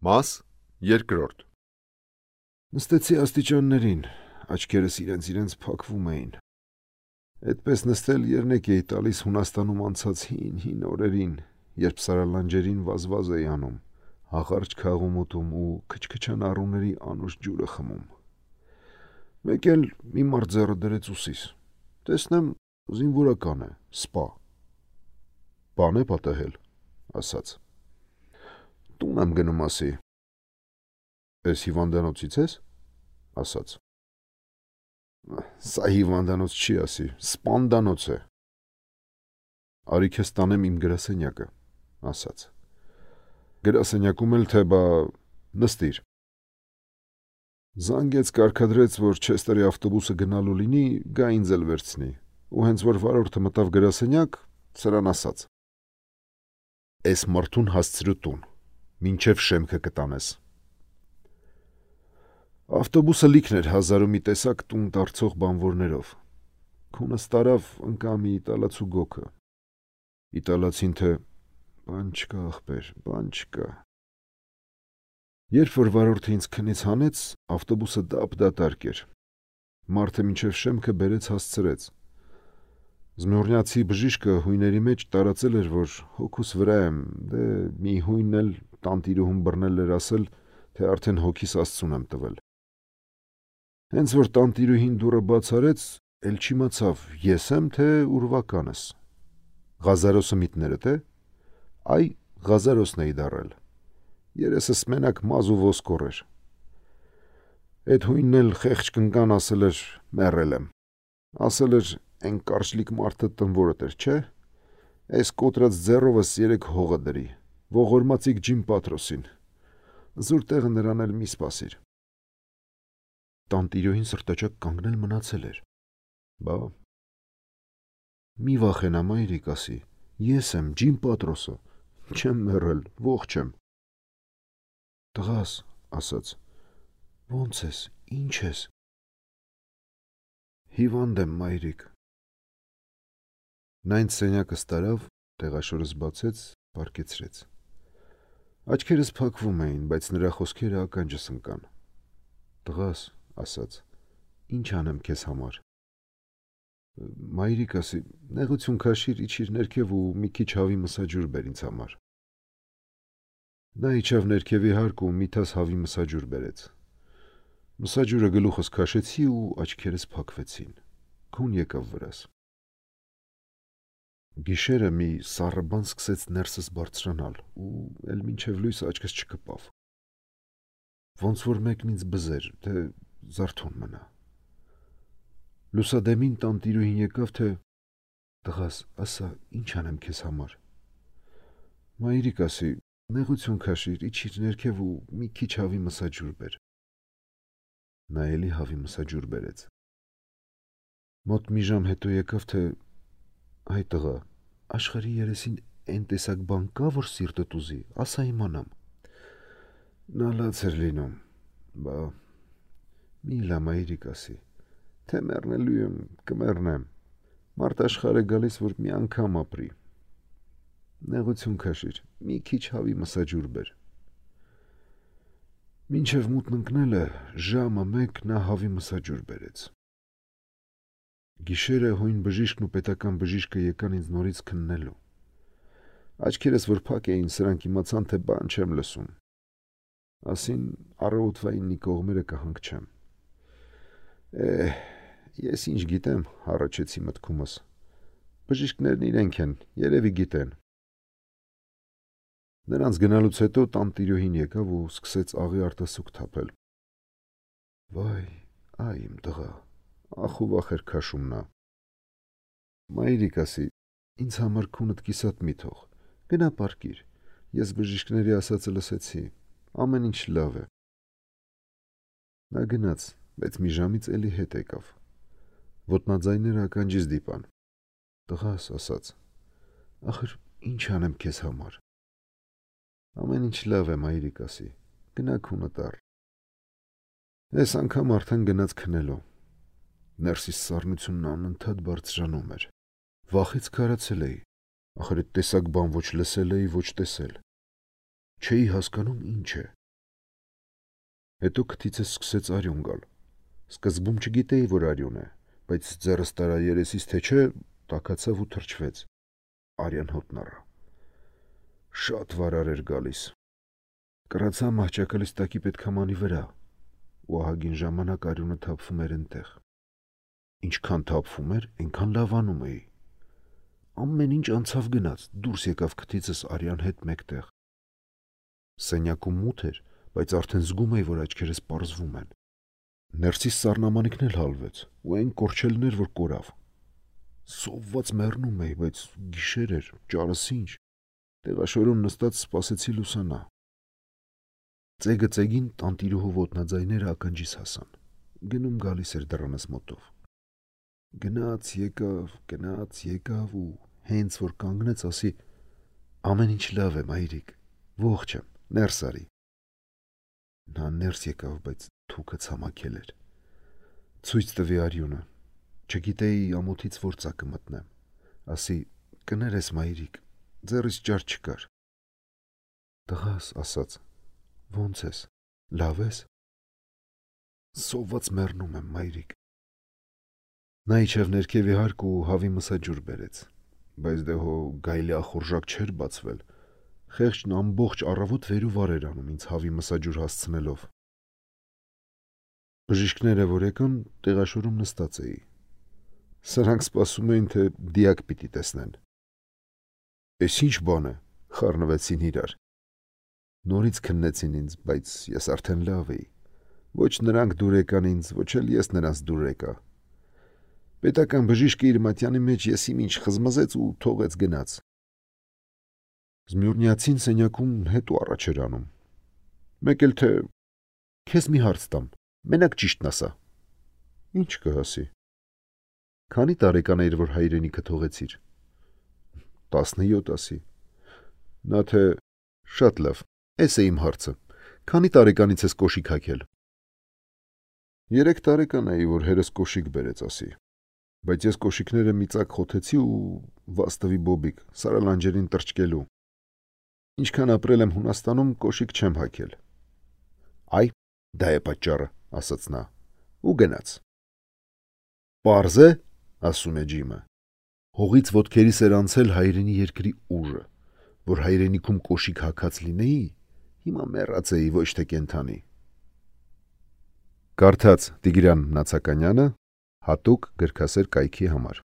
Մաս երկրորդ Նստեցի աստիճաններին, աչքերս իրենց փակվում էին։ Այդպես նստել երնեք էի տալիս Հունաստանում անցած հին օրերին, երբ սարալանջերին վազվազ էի անում, հաղարճ քաղում ուտում ու քչքչան առուների անուշ ջուրը խմում։ Մեկ էլ մի մարդ ձեռը դրեց ուսիս։ Տեսնեմ, զինվորական է, սպա։ Բան է պատահել, ասաց։ Տուն եմ գնում ասի։ Էս հիվանդանոցից ես, ասաց։ Սա հիվանդանոց չի ասի, սպանդանոց է։ Արի քեզ տանեմ իմ գրասենյակը, ասաց։ Գրասենյակում էլ թե բա նստիր։ Զանգեց կարգադրեց, որ Չեստերի ավտոբուսը գնալու լինի, գա ինձ էլ վերցնի, ու հենց որ վարորդը մտավ գրասենյակ, սրան ասաց. Էս մարդուն հասցրու տուն, մինչև շեմքը կտանես։ Ավտոբուսը լիքն էր 1000 ու մի տեսակ տուն դարձող բանվորներով։ Քունս տարավ ընկա մի իտալացու գոքը։ Իտալացին թե բան չկա ախպեր, բան չկա։ Երբ որ վարորդը ինձ քնից հանեց, ավտոբուսը դատարկ էր։ Մարդը մինչև շեմքը բերեց հասցրեց։ Զմյուրնյացի բժիշկը հույների մեջ տարածել էր, որ հոգուս վրա եմ, դե մի հույնն էլ տանտիրուհուն բռնել էր ասել, թե արդեն հոգիս Աստծուն եմ տվել։ Հենց որ տանտիրուհին դուռը բաց արեց, էլ չիմացավ ես եմ, թե ուրվականս։ Ղազարոսը միտներդ է։ Այ Ղազարոսն էի դառել։ Երեսս մենակ մազ ու ոսկոր էր։ Այդ հույնն էլ խեղճ կնկան ասել էր մեռել եմ։ Ասել էր այն կարճլիկ մարդը տնվորդ էր, չէ։ Այս կոտրած ձեռովս 3 հողը դրի, ողորմածիկ Ջիմ Պատրոսին։ Զուր տեղը նրան էլ մի սպասիր։ Տանտիրոհին սրտաճակ կանգնել մնացել էր։ Բա մի վախենա մայրիկ ասի, ես եմ Ջիմ Պատրոսը, չեմ մեռել, ողջ եմ։ Տղաս, ասաց, ոնց ես, ինչ ես։ Հիվանդ եմ մայրիկ։ Նա ինձ սենյակս տարավ, տեղաշորս բացեց, պառկեցրեց։ Աչքերս փակվում էին, բայց նրա խոսքերը ականջս ընկան։ Տղաս, ասաց, ինչ անեմ քեզ համար։ Մայրիկ ասի, նեղություն քաշիր, իջիր ներքև ու մի քիչ հավի մսաջուր բեր ինձ համար։ Նա իջավ ներքևի հարկ ու մի թաս հավի մսաջուր բերեց։ Մսաջուրը գլուխս քաշեցի ու աչքերս փակվեցին։ Քուն եկավ վրաս։ Գիշերը մի սառը բան սկսեց ներսս բարձրանալ ու էլ մինչև լույս աչքս չկպավ։ Ոնց որ մեկն ինձ բզեր, թե զարթուն մնա։ Լուսադեմին տանտիրուհին եկավ, թե տղաս, ասա, ինչ անեմ քեզ համար։ Մայրիկ ասի, նեղություն քաշիր, իջիր ներքև ու մի քիչ հավի մսաջուր բեր։ Նա էլի հավի մսաջուր բերեց։ Մոտ մի ժամ հետո եկավ, թե այ տղա, աշխարհի երեսին այն տեսակ բան կա, որ սիրտդ ուզի, ասա իմանամ։ Նա լաց էր լինում, բա մի լա մայրիկ ասի, թե մեռնելու եմ, կմեռնեմ։ Մարդ աշխարհ է գալիս, որ մի անգամ ապրի։ Նեղություն քաշիր, մի քիչ հավի մսաջուր բեր։ Մինչև մութն ընկնելը ժամը 1 նա հավի մսաջուր բերեց։ Գիշերը հույն բժիշկն ու պետական բժիշկը եկան ինձ նորից քննելու։ Աչքերս որ փակ էին, սրանք իմացան, թե բան չեմ լսում։ Ասին առավոտվա 9-ի կողմերը կհանգչեմ։ Ես ինչ գիտեմ, հառաչեցի մտքումս։ Բժիշկներն իրենք են, երևի գիտեն։ Նրանց գնալուց հետո տանտիրոհին եկավ ու սկսեց աղի արտասուք թափել։ Վայ, այ իմ տղա, ախ ու վախ էր քաշում նա։ Մայրիկ ասի, ինձ համար քունդ կիսատ մի թող, գնա պառկիր, ես բժիշկների ասածը լսեցի, ամեն ինչ լավ է։ Նա գնաց, բայց մի ժամից էլի հետ եկավ։ Ոտնաձայները ականջիս դիպան։ Տղաս, ասաց, ախր ինչ անեմ քեզ համար։ Ամեն ինչ լավ է, մայրիկ ասի, գնա քունդ առ։ Այս անգամ արդեն գնաց քնելու։ Ներսիս սառնությունն անընդհատ բարձրանում էր։ Վախից քարացել էի, ախր այդ տեսակ բան ոչ լսել էի, ոչ տեսել։ Չէի հասկանում ինչ է։ Հետո քթիցս սկսեց արյուն գալ։ Սկզբում չգիտեի, որ արյուն է, բայց ձեռս տարա երեսից թե չէ, տաքացավ ու թրջվեց։ Արյան հոտն առա։ Շատ վարար էր գալիս։ Կրացա մահճակալից տակի պետքամանի վրա, ու ահագին ժամանակ արյունը թափվում էր այնտեղ։ Ինչքան թափվում էր, այնքան լավանում էի։ Ամեն ինչ անցավ գնաց, դուրս եկավ քթիցս արյան հետ մեկտեղ։ Սենյակում մութ էր, բայց արդեն զգում էի, որ աչքերս պարզվում են։ Ներսիս սառնամանիքն էլ հալվեց, ու այն կորչելն էր, որ կորավ։ Սովված մեռնում էի, բայց գիշեր էր, ճարս ինչ։ Տեղաշորում նստած սպասեցի լուսանա։ Ծեգը ծեգին տանտիրուհու ոտնաձայները ականջիս հասան։ Գնում գալիս էր դռանս մոտով։ Գնաց եկավ ու հենց որ կանգնեց, ասի. ամեն ինչ լավ է, մայրիկ, ողջ եմ, ներս արի։ Նա ներս եկավ, բայց թուքը ցամաքել էր։ Ցույց տվի արյունը։ Չգիտեի ամոթից որ ծակը մտնեմ։ Ասի. կներես, մայրիկ, ձեռից ճար չկար։ Տղաս, ասաց. ոնց ես, լավ ես։ Սոված մեռնում եմ, մայրիկ։ Նա իջավ ներքև իհարկ ու հավի մսաջուր բերեց, բայց դե հո գայլի ախորժակ չէր բացվել։ Խեղճն ամբողջ առավոտ վեր ու վար էր անում ինձ հավի մսաջուր հասցնելով։ Բժիշկները որ եկան, տեղաշորում նստած էի։ Սրանք սպասում էին, թե դիակ պիտի տեսնեն։ Էս ինչ բան է, խառնվեցին իրար։ Նորից քննեցին ինձ, բայց ես արդեն լավ էի։ Ոչ նրանք դուր եկան ինձ, ոչ էլ ես նրանց դուր եկա։ Պետական բժիշկը իր մատյանի մեջ եսիմ ինչ խզմզեց ու թողեց գնաց։ Զմյուռնիացին սենյակում հետ ու առաջ էր անում։ Մեկ էլ թե քեզ մի հարց տամ, մենակ ճիշտն ասա։ Ինչ կհասի։ Քանի տարեկան էիր, որ հայրենիքը թողեցիր։ 17 ասի։ Նա թե շատ լավ, էս է իմ հարցը։ Քանի տարեկանից ես կոշիկ հագել։ 3 տարեկան էի, որ հերս կոշիկ բերեց, ասի։ Բայց ես կոշիկները մի ծակ խոթեցի ու վաստվի բոբիկ, սարալանջերին տրճկելու։ Ինչքան ապրել եմ Հունաստանում, կոշիկ չեմ հագել։ Այ, դա է պատճառը, ասաց նա, ու գնաց։ Պարզ է, ասում է Ջիմը։ Հողից ոտքերիս էր անցել հայրենի երկրի ուժը, որ հայրենիքում կոշիկ հագած լինեի, հիմա մեռած էի, ոչ թե կենթանի։ Կարդաց Տիգրան Նացականյանը հատուկ գրքասեր կայքի համար։